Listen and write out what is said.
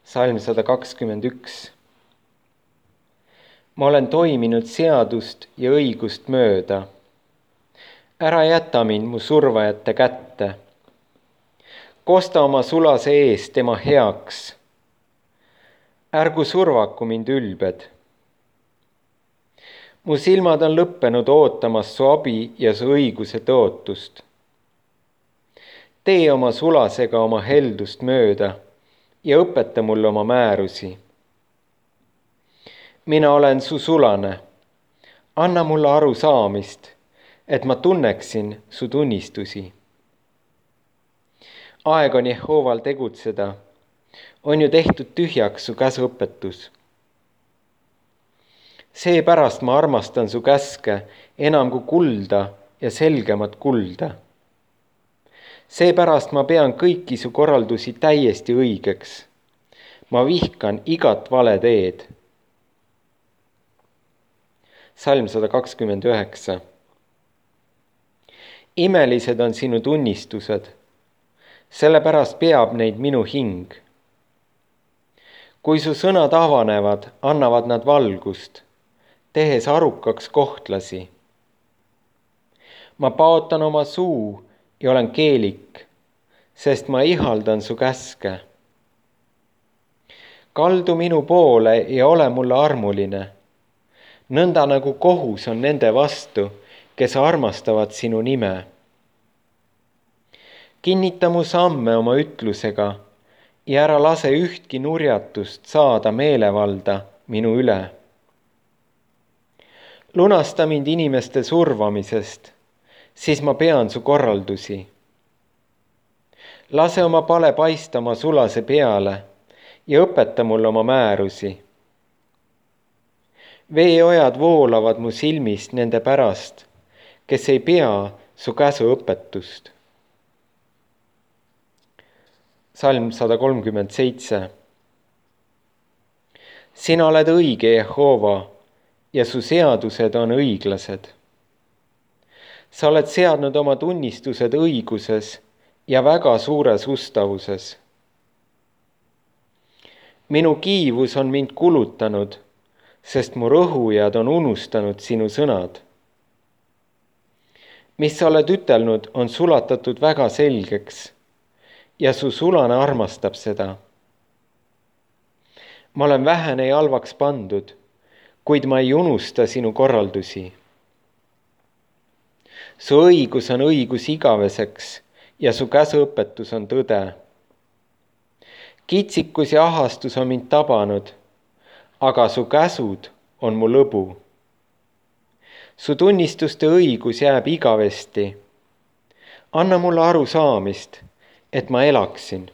Salm 121. Ma olen toiminud seadust ja õigust mööda. Ära jäta mind mu survajate kätte. Kosta oma sulase ees tema heaks. Ärgu survaku mind ülbed. Mu silmad on lõppenud ootamas su abi ja su õiguse tõotust. Tee oma sulasega oma heldust mööda ja õpeta mulle oma määrusi. Mina olen su sulane. Anna mulle arusaamist, et ma tunneksin su tunnistusi. Aeg on Jehooval tegutseda. On ju tehtud tühjaks su käsuõpetus. Seepärast ma armastan su käske enam kui kulda ja selgemat kulda. Seepärast ma pean kõiki su korraldusi täiesti õigeks. Ma vihkan igat vale teed. Salm 129. Imelised on sinu tunnistused, sellepärast peab neid minu hing. Kui su sõnad avanevad, annavad nad valgust, tehes arukaks kohtlasi. Ma paotan oma suu ja olen keelik, sest ma ihaldan su käske. Kaldu minu poole ja ole mulle armuline, nõnda nagu kohus on nende vastu, kes armastavad sinu nime. Kinnita mu samme oma ütlusega ja ära lase ühtki nurjatust saada meelevalda minu üle. Lunasta mind inimeste survamisest, siis ma pean su korraldusi. Lase oma pale paista oma sulase peale ja õpeta mulle oma määrusi. Veeojad voolavad mu silmist nende pärast, kes ei pea su käsuõpetust. Salm 137. Sina oled õige, Jehova, ja su seadused on õiglased. Sa oled seadnud oma tunnistused õiguses ja väga suures ustavuses. Minu kiivus on mind kulutanud, sest mu rõhujad on unustanud sinu sõnad. Mis sa oled ütelnud, on sulatatud väga selgeks ja su sulane armastab seda. Ma olen vähene ja halvaks pandud, kuid ma ei unusta sinu korraldusi. Su õigus on õigus igaveseks ja su käsuõpetus on tõde. Kitsikus ja ahastus on mind tabanud, aga su käsud on mu lõbu. Su tunnistuste õigus jääb igavesti. Anna mulle arusaamist, et ma elaksin.